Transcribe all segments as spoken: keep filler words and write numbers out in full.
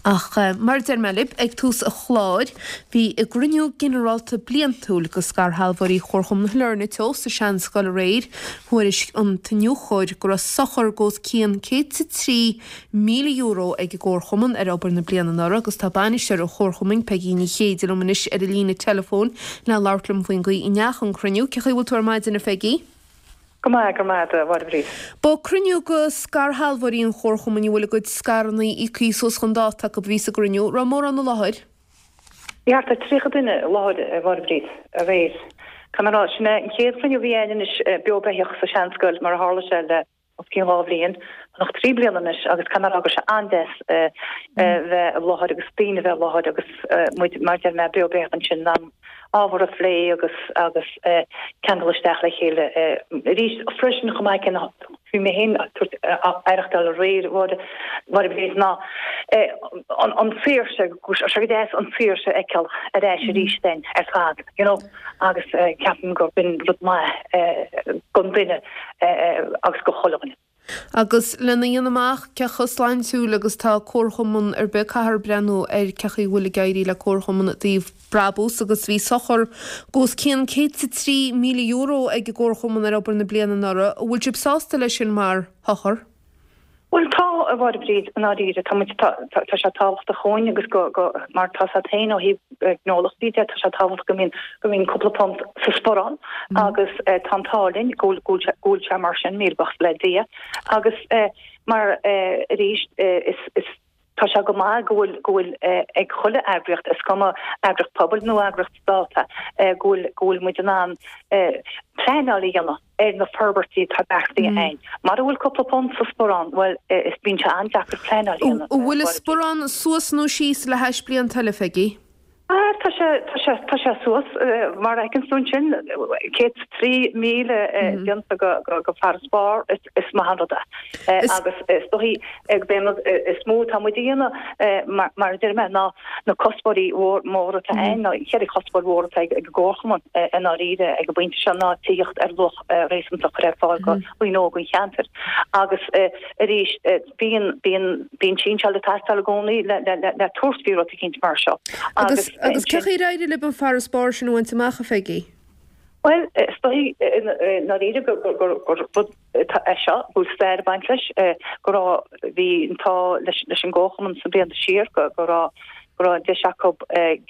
Ach mar a deir mé libh ag tús an chláir, bhí a gcruinniú ginearálta bliantúil go scairshealbhóirí Chomharchumann Shailearna Teo sa Seanscoil aréir. Thuairisc an t-iniúchóir go raibh sochar os cionn céad is a trí míle euro ag an gComharchumann ar obair na bliana anuraidh agus tá bainisteoir an Chomharchumainn, Peigí Ní Chéide liom anois ar an líne teileafóin le labhairt liom faoin gcaoi a ndeachaigh an cruinniú. Cén chaoi a bhfuil tú ar maidin a Pheigí? Go maith, go maith, a Mháire Bhríd. Ba cruinniú go scairshealbhóirí an Chomharchumainn a bhfuil a gcuid scaireanna íoctha suas chun dáta acu a bhí sa gcruinniú. Raibh mórán i láthair? Bhí thart ar tríocha duine i láthair, a Mháire Bhríd, aréir. Caithfidh mé a rá, sin é an chéad chruinniú a bhí againn anois beo beathach sa Seanscoil mar a tharla sé le os cionn dhá bhliain, nó trí bliana anois agus caithfidh mé a rá go raibh sé an-deas bheith i láthair agus daoine bheith i láthair agus muid, mar a deir mé, beo beathach ansin in ann ábhar a phlé agus agus ceangal isteach le chéile arís freisin chomh maith céanna. Bhí mé féin ag tabhairt aireachtáil aréir a Mháire Bhríd ná an tsaoirse, go raibh sé go deas an tsaoirse a fheiceáil ar ais arís den ar fad, you know, agus ceapaim gur b'in rud maith don duine agus go chuile dhuine. Agus lena dhéanamh amach cé chomh sláintiúil agus tá comharchumann ar bith, caithfear breathnú ar cé chaoi a bhfuil ag éirí le comharchumann i dtaobh brabús agus bhí sochar os cionn céad is a trí míle euro ag an gcomharchumann ar obair na bliana anuraidh. An bhfuil sibh sásta leis sin mar shochar? Bhuel tá, a Mháire Bhríd, i ndáiríre. Tá muid, tá, tá sé tábhachtach dhúinn agus go, go, mar tá a fhios agat féin ó thaobh gnólachtaí de, tá sé tábhachtach go mbíonn, go mbíonn cúpla punt sa sparán agus tá an t-ádh linn go bhfuil, go bhfuil sé, go bhfuil sé mar sin, míle buíochas le Dia. Agus mar arís is, is, tá sé go maith go bhfuil, go bhfuil ag chuile eagraíocht, is cuma eagraíocht pobail nó eagraíocht stáit, go bhfuil, go bhfuil muid in ann pleanáil a dhéanamh. ar na forbairtí atá beartaithe againn. Mara bhfuil cúpla punt sa sparán, bhuel, is bíonn sé an-deacair pleanáil a dhéanamh. An bhfuil an sparán suas nó síos le hais blianta eile, a Pheigí? Ah, tá sé, tá sé, tá sé suas, mar a fheiceann tú ansin, céad is trí míle déanta go, go, go farasbarr, is, is maith an rud é. Agus is dóichí gurb é an rud is mó atá muid a dhéanamh, mar, mar a deir mé, ná na cuspóirí móra atá againn, ná ceithre chuspóir mhóra atá ag an gComharchumann i ndáiríre ag an bpointe seo ná tithíocht ar luach réasúnta a chur ar fáil go dhaoine óga an cheantair. Agus arís bíonn bíonn bíonn sinseáil ag teastáil i gcónaí le le le le tabhairt faoi rud eicínt mar seo. Agus agus cé chaoi ar éirigh libh an farasbarr sin a bhaint amach, a Pheigí? Bhuel, is dóigh i ndáiríre gur gur gur rud é seo go bhfuil stair ag baint leis, go raibh, bhí an t-ádh leis leis an gComharchumann sna blianta siar go go raibh go raibh deis acu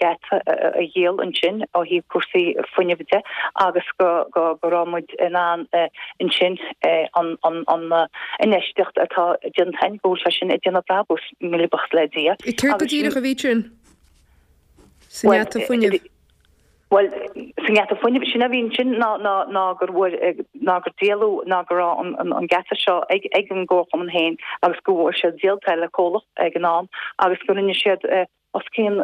geata a dhíol ansin ó thaobh cúrsaí fuinnimh de agus go go go raibh muid in ann ansin an an an infheistíocht atá déanta againn go bhfuil sé sin ag déanamh brabús, míle buíochas le Dia. Céard go díreach a bhí ansin sa ngeata fuinnimh? Bhuel, sa ngeata fuinnimh, sin a bhí ansin ná ná ná gur bhfuair ná gur díoladh ná go raibh an an an geata seo ag ag an gComharchumann féin agus go bhfuair siad díolta le comhlacht ag an am agus go rinne siad os cionn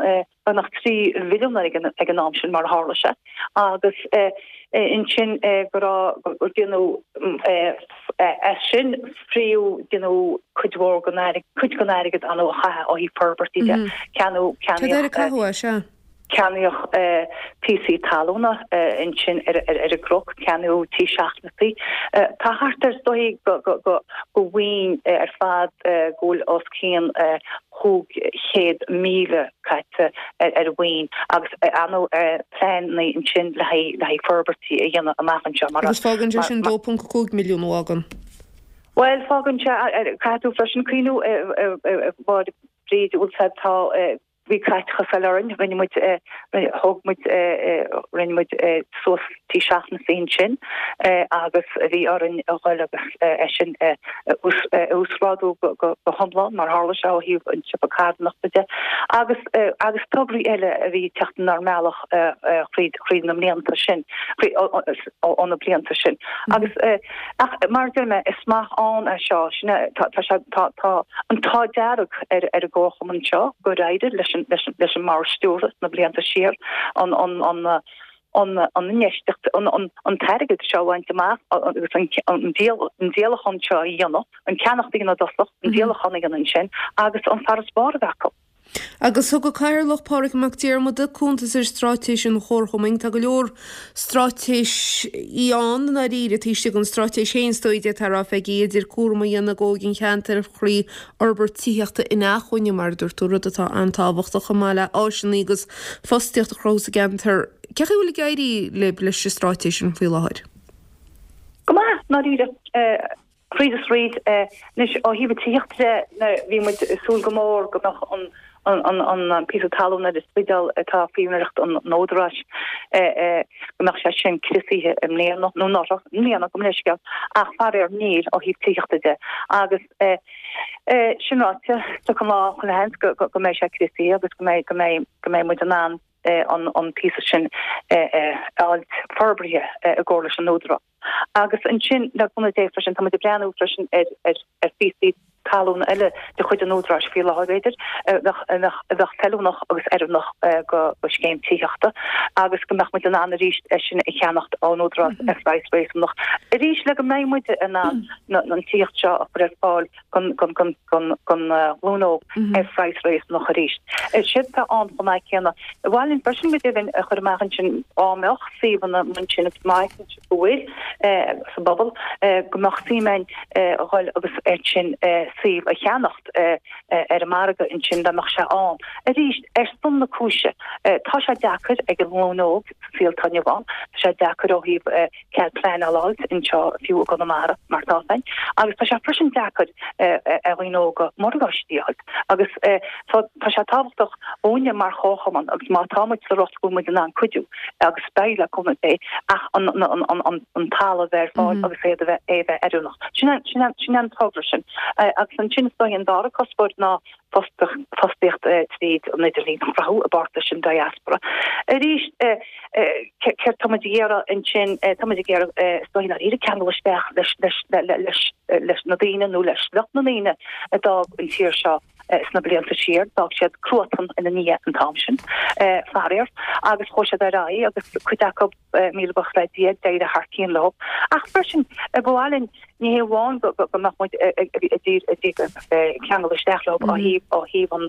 beagnach trí mhilliún ag an ag an am sin mar a tharla sé agus ansin go raibh gur déanadh as sin fríoth déanadh cuid mhór den airgead cuid den airgead ann a chaitheamh ó thaobh forbairtí de ceannú Cad air a caitheadh é, sea? Ceannaíodh píosaí talúna ansin ar an gcnoc, ceannaíodh tí seachnasai. Tá thart ar, is dóigh, go mhaoin ar fad go bhfuil os cionn chúig chéad míle caite ar mhaoin agus ar ndóigh pleananna ansin le haghaidh forbairtí a dhéanamh amach anseo. Agus fágann sé sin dó ponc cúig milliún a fhágann. Bhuel, fágann sé, caithfidh tú freisin cuimhniú, a Mháire Bríd, bhfuil sé, tá, Bhí caiteachas eile orainn, rinne muid, thóg muid, rinne muid suas tí seachnasai ansin agus bhí orainn a dhul agus é sin a uasghrádú go hiomlán mar tharla sé ó thaobh an tsiopa carthanachta de agus agus tograí eile a bhí ag teacht inár mbealach thríd thríd na mblianta sin, ó na blianta sin. Agus Ach mar a deir mé, is maith ann é seo, sin é, tá, tá sé, tá, tá an t-ádh dearg ar, ar an gComharchumann seo gur éirigh leis an, leis an, leis an mBord Stiúrtha sna blianta siar an, an, an, an, an infheistíocht, an, an, an t-airgead seo a bhaint amach agus an, an díol, an díolachán seo a dhéanamh, an ceannacht a dhéanamh i dtosach, an díolachán a dhéanamh ansin agus an farasbarr a bheith acu. Agus thug an Cathaoirleach Pádraig Mac Diarmada cuntas ar straitéis an Chomharchumainn. Tá go leor straitéisí ann i ndáiríre taobh istigh den straitéis féin is dóigh d'fhéadfá a rá, Pheigí, idir cúram a dhéanamh d'óige an cheantair thrí fhorbairt tithíochta inacmhainne, mar a dúirt tú, rud atá an-tábhachtach, chomh maith le áiseanna agus fostaíocht a chruthú sa gceantar. Cé chaoi a bhfuil ag éirí libh leis an straitéis sin faoi láthair? Go maith, i ndáiríre. Fríd is fríd, anois ó thaobh an tithíochta de, bhí muid ag súil go mór go mbeadh an an píosa talún ar an Spidéal atá faoi úinéireacht an Údaráis, go mbeadh sé sin criosaithe i mbliana, nó anuraidh, i mbliana, gabh mo leithscéal, ach faraor níl ó thaobh tithíochta de. Agus sin ráite, tiocfaidh an lá chuile sheans go go mbeidh sé criosaithe agus go mbeidh go mbeidh go mbeidh muid in ann an an píosa sin a fháilt forbraithe i gcomhar leis an Údarás. Agus ansin, le cúnamh Dé freisin, tá muid ag breathnú freisin ar ar phíosaí talún eile de chuid an Údaráis faoi láthair, b'fhéidir, a bheadh a bheadh a bheadh feiliúnach agus oiriúnach go go scéim tithíochta agus go mbeadh muid in ann arís é sin a cheannacht ón Údarás ar phraghas réasúnach arís le go mbeidh muid in ann an tithíocht seo a chur ar fáil don don don don don ghlúin óg ar phraghas réasúnach arís. Sin atá ann chomh maith céanna. Ba mhaith linn freisin go deimhin a chur amach ansin dá mbeadh suíomhanna ansin agus má fheiceann sibh go bhfuil sa bpobal go mbeadh suim ann a dhul agus ansin suíomh a cheannacht ar an margadh ansin dá mbeadh sé ann. Arís, ar son na cúise, tá sé deacair ag an nglúin óg sa saol atá inniu ann, tá sé deacair ó thaobh cead pleanála a fháilt anseo fiú i gConamara mar atá féin, agus tá sé freisin deacair ar dhaoine óga morgáistí a fháilt. Agus tá sé tábhachtach dhúinne mar chomharchumann agus má tá muid sa riocht go bhfuil muid in ann cuidiú agus beidh le cúnamh Dé ach an talamh a bheith ar fáil agus é a bheith é a bheith oiriúnach. Sin sin sin an togra sin. Agus ansin is dóigh an dara cuspóir ná fostaíocht tríd an idirlíon a chruthú i bpáirt leis an diaspora. Arís céard tá muid ag iarraidh ansin, tá muid ag iarraidh is dóigh ndáiríre ceangal isteach leis leis leis leis na daoine nó le sliocht na ndaoine a d'fhág an tír seo sna blianta siar. D'fhág siad cruatan ina ndiaidh an t-am sin, faraor, agus chuaigh siad ar aghaidh agus cuid acu, míle buíochas le Dia, d'éirigh thar cionn leo. Ach freisin, ba mhaith linn, ní hé amháin go mbeadh muid ag ceangal isteach leo ó thaobh ó thaobh an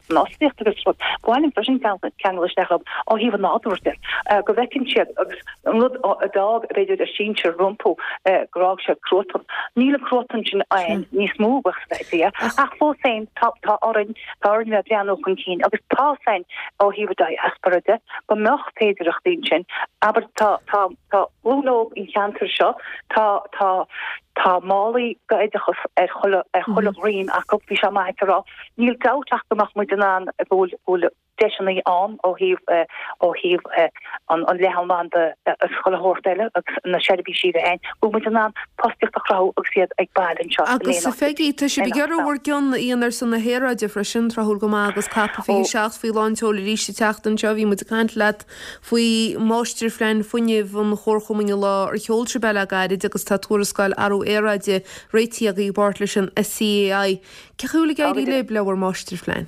fhostaíocht agus rud, ba mhaith linn freisin ceangal isteach leo ó thaobh an nádúir de, go bhfeiceann siad agus an rud a d'fhág b'fhéidir a sinsir rompu gur fhág siad cruatan. Níl an cruatan sin ann níos mó, buíochas le Dia, ach fós féin tá tá orainn tá orainn bheith ag breathnú chun cinn agus tá a fhios againn ó thaobh an diaspora de go mbeadh féidearthachtaí ansin. Abair tá tá tá glúin óg an cheantair seo, tá tá tá málaí d'oideachas ar chuile ar chuile dhroim acu, bhí sé maith a rá. Níl dabht ach go mbeadh muid in ann go bhfuil go bhfuil deiseanna ann ó thaobh ó thaobh an an leathanbhanda agus chuile shórt eile agus na seirbhísí a bheith ann, go bhfuil muid in ann fostaíocht a chruthú agus iad ag baile anseo in Agus a aon áit Pheigí, tá sibh in ag iarraidh bhur gcion a dhéanamh ar son na haeráide freisin, tráthúil go maith agus COP fiche seacht faoi lán tseoil arís ag teacht anseo. Bhí muid ag caint leat faoi Mháistirphlean Fuinnimh an Chomharchumainn an lá ar sheol sibh é le gairid agus tá tuarascáil athrú aeráide réitithe agaibh i bpáirt leis an SEAI. Cé chaoi a bhfuil ag éirí libh le bhur Máistirphlean?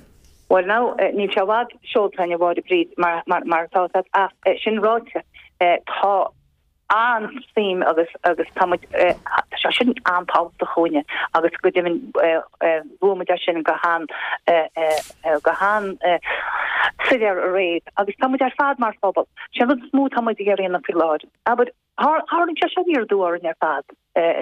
Bhuel now, níl sé i bhfad seolta againn a Mháire Bríd mar mar atá ach sin ráite tá an-suim agus agus tá muid tá sé sin an-tábhachtach dhúinne agus go deimhin luaigh muid é sin go han go han soiléir aréir agus tá muid ar fad mar phobal. Sin an rud is mó atá muid ag iarraidh a dhéanamh faoi láthair. Abair tharlaigh sé seo aniar aduaidh orainn ar fad.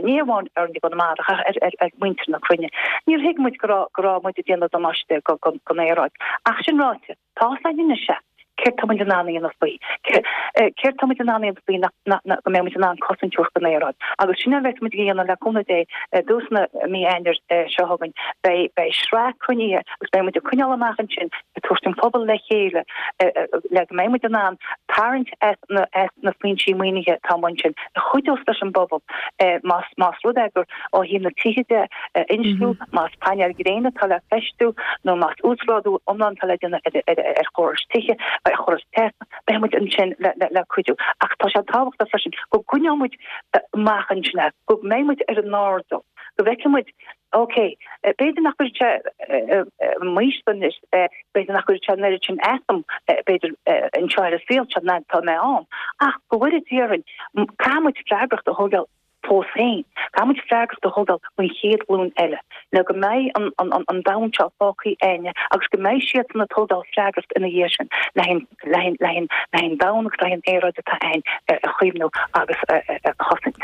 Ní hamháin orainn i gConamara ach ar ar ar mhuintir na cruinne. Níor thuig muid go raibh go raibh muid ag déanamh damáiste go don aeráid. Ach sin ráite, tá a fhios againn anois é. Céard tá muid in ann a dhéanamh faoi? Céard tá muid in ann a dhéanamh faoi nach go mbeidh muid in ann cosaint a thabhairt don aeráid? Agus sin a bheas muid a dhéanamh le cúnamh Dé i dtús na mí Eanáir seo chugainn. Beidh beidh sraith cruinnithe agus beidh muid ag coinneáil amach ansin ag tabhairt an pobal le chéile le go mbeidh muid in ann tarraingt as na as na foinsí maoinithe atá amuigh ansin a chuideos leis an bpobal más más rud é gur ó thaobh na tithe de a insliú, más painéil gréine atá le feistiú nó más uasghrádú iomlán atá le déanamh ar chórais tithe, ar chórais teasa, beidh muid ansin le cuidiú. Ach tá sé tábhachtach freisin go gcoinneoidh muid amach ansin é, go mbeidh muid ar an airdeall, go bhfeicfidh muid, ok, b'fhéidir nach gcuirfidh sé m'aois anois, b'fhéidir nach gcuirfidh sé an oiread sin asam, b'fhéidir, anseo ar an saol seo ná tá mé ann, ach go bhfóire Dia orainn, caithfidh muid freagracht a thógáil. fós féin, caithfidh muid freagracht a thógáil don chéad ghlúin eile, le go mbeidh an, an, an, an domhan seo fágtha againne agus go mbeidh siadsan ag tógáil freagracht ina dhiaidh sin le le le le an domhan agus le an aeráid atá ann a chaomhnú agus a, a, a chosaint.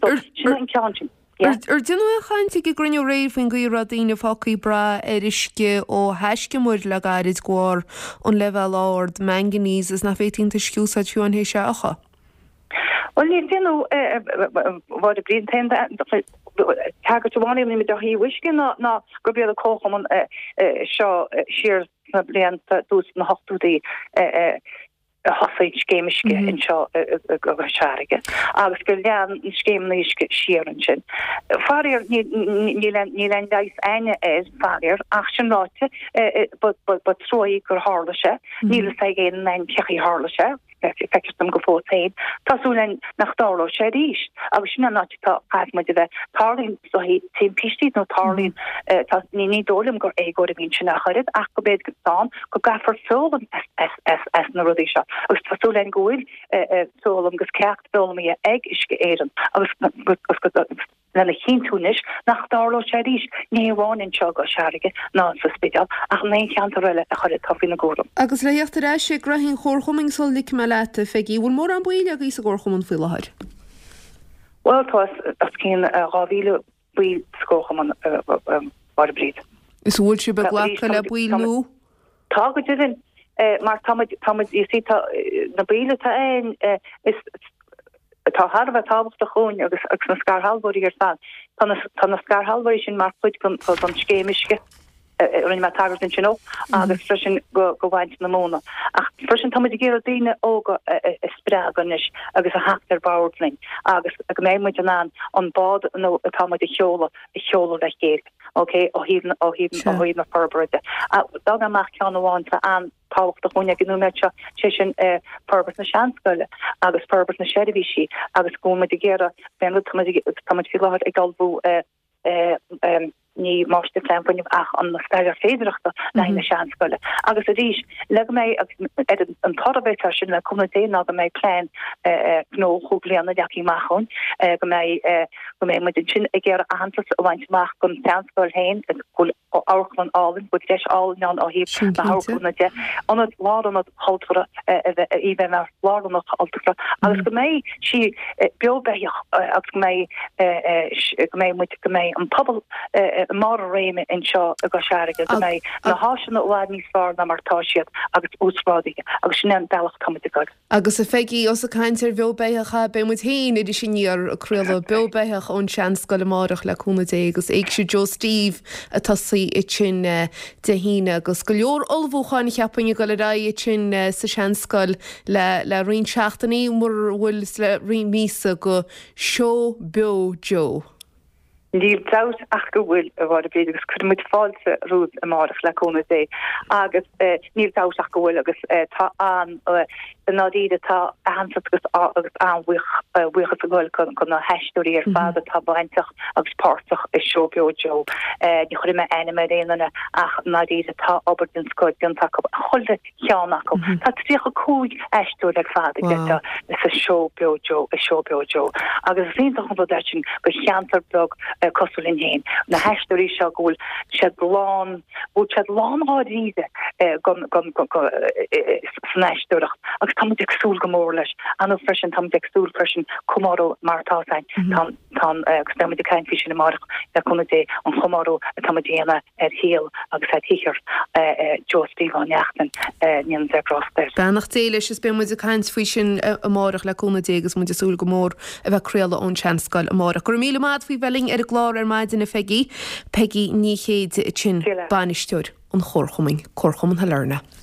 So, sin an ceann sin. Ar deineadh aon chaint ag an gcruinniú aréir faoin gcaoi a raibh daoine fágtha ag brath ar uisce ó thaisce muir le gairid de bharr an leibhéal ard manganese is nach bhféadfaí an t-uisce a úsáid fiú amháin théis é a fhiuchadh? Bhuel níor deineadh Mháire Bríd an t-aon tagairt amháin a rinne muid ó thaobh uisce ná ná gurb iad an comharchumann seo siar sna blianta dtús na hochtóidí a thosaigh scéim uisce anseo i gCois Fharraige agus gur lean an scéimeanna uisce siar ansin. Faraor níl aon leigheas againne air, faraor, ach sin ráite ba trua é gur tharla sé. Níl fhios ag aon duine cén chaoi a tharla sé, feictear dom go fóill féin. Tá súil againn nach dtarlóidh sé arís agus sin an áit atá caithfidh muid a bheith. Tarlaíonn timpistí nó tarlaíonn tá ní ní dóigh liom gur éagóir a bhí ansin ach oiread ach go b'fhéidir go ann go gcaithfear foghlaim as as as na rudaí seo agus tá súil againn go bhfuil foghlaim agus ceacht foghlamtha ag Uisce Éireann agus agus lena chinntiú anois nach dtarlóidh sé arís, ní hamháin anseo i gCois Fharraige ná sa Spidéal ach in aon cheantar eile a chuir atá faoina gcúram. Agus le theacht ar ais ag gnoithí an Chomharchumainn sula ligfidh mé leat, a Pheigí, bhfuil mórán baill agaibh sa gComharchumann faoi láthair? Bhuel, tá os cionn dhá mhíle baill sa gComharchumann, a Mháire Bríd. Is bhfuil sibh ag glacadh le baill nua? Tá go deimhin, mar tá muid, tá muid, you see, tá na baill atá ann, is atá thar a bheith tábhachtach dhúinn agus agus na scairshealbhóirí ar fad. Tá na tá na scairshealbhóirí sin mar chuid den den scéim uisce a rinne mé tagairt ansin dó agus freisin go go bhaint na móna. Ach freisin tá muid ag iarraidh daoine óga a spreagadh anois agus a theacht ar bord linn agus go mbeidh muid in ann an bád nó atá muid a sheoladh a sheoladh le chéile. Ok, ó thaobh na ó thaobh ó thaobh na forbartha de. D'fhág mé amach ceann amháin atá an-tábhachtach dhúinn ag an nóiméad seo, sé sin forbairt na seanscoile agus forbairt na seirbhísí agus go bhfuil muid ag iarraidh, b'é an rud tá muid tá muid faoi láthair ag ullmhú ní máistirphlean fuinnimh ach an staidéar féidearthachta le haghaidh na seanscoile. Agus arís, le go mbeidh ar an toradh a bheas air sin le cúnamh Dé ná go mbeidh plean gnó chúig bliana leagtha amach ann, go mbeidh go mbeidh muid ansin ag iarraidh aitheantas a bhaint amach don tseanscoil féin, go bhfuil amharclann álainn, go bhfuil deis álainn ann ó thaobh na hamharclainne de, ionad, lárionad cultúrtha a bheith, í bheith mar lárionad cultúrtha agus go mbeidh sí beo beathach agus go mbeidh, go mbeidh muid, go mbeidh an pobal i mbarr a réime anseo i gCois Fharraige, go mbeidh na háiseanna i bhfad níos fearr ná mar atá siad agus uasghrádaithe agus sin é an bealach atá muid ag dul. Agus a Pheigí, ós ag caint ar bheo beathach, beidh muid féin ar Iris Aniar ag craoladh beo beathach ón Seanscoil amárach le cúnamh Dé agus Éigse Joe Steve ag tosaí ansin Dé hAoine agus go leor ullmhúcháin cheapfainn ag dul ar aghaidh ansin sa Seanscoil le le roinnt seachtainí mura bhfuil le roinnt míosa go Seó Beo Joe. Níl dabht ach go bhfuil, a Mháire Bríd, agus cuirfidh muid fáilte romhaibh amárach le cúnamh Dé. Agus níl dabht ach go bhfuil, agus tá an, i ndáiríre, tá aitheantas agus agus an-bhuíochas ag dul go na haisteoirí ar fad atá bainteach agus páirteach i Seó Beo Joe. Ní chuirfidh mé ainm ar aon duine ach i ndáiríre tá obair den scoth déanta acu, chuile cheann acu. Tá tríocha cúig aisteoir ar fad ag sa Seó Beo Joe, i Seó Beo Joe. Agus is iontach an rud é sin do cheantar beag cosúil linn féin. Na haisteoirí seo go bhfuil siad lán, go bhfuil siad lán dháiríre san aisteoireacht agus tá muid ag súil go mór leis. Anú freisin tá muid ag súil freisin comóradh mar atá againn. Tá an, agus beidh muid ag caint faoi sin amárach le cúnamh Dé, an chomóradh atá muid a dhéanamh ar shaol agus ar shaothar Joe Steve Ó Neachtain, go ndéana Dia grásta air. Beannacht Dé leis is beidh muid ag caint faoi sin amárach le cúnamh Dé agus muid ag súil go mór a bheith ag craoladh ón Seanscoil amárach. Go raibh míle maith agat faoi bheith linn ar an gclár ar maidin a Pheigí, Peigí Ní Chéide ansin, bainisteoir an Chomharchumainn, Comharchumann Shailearna.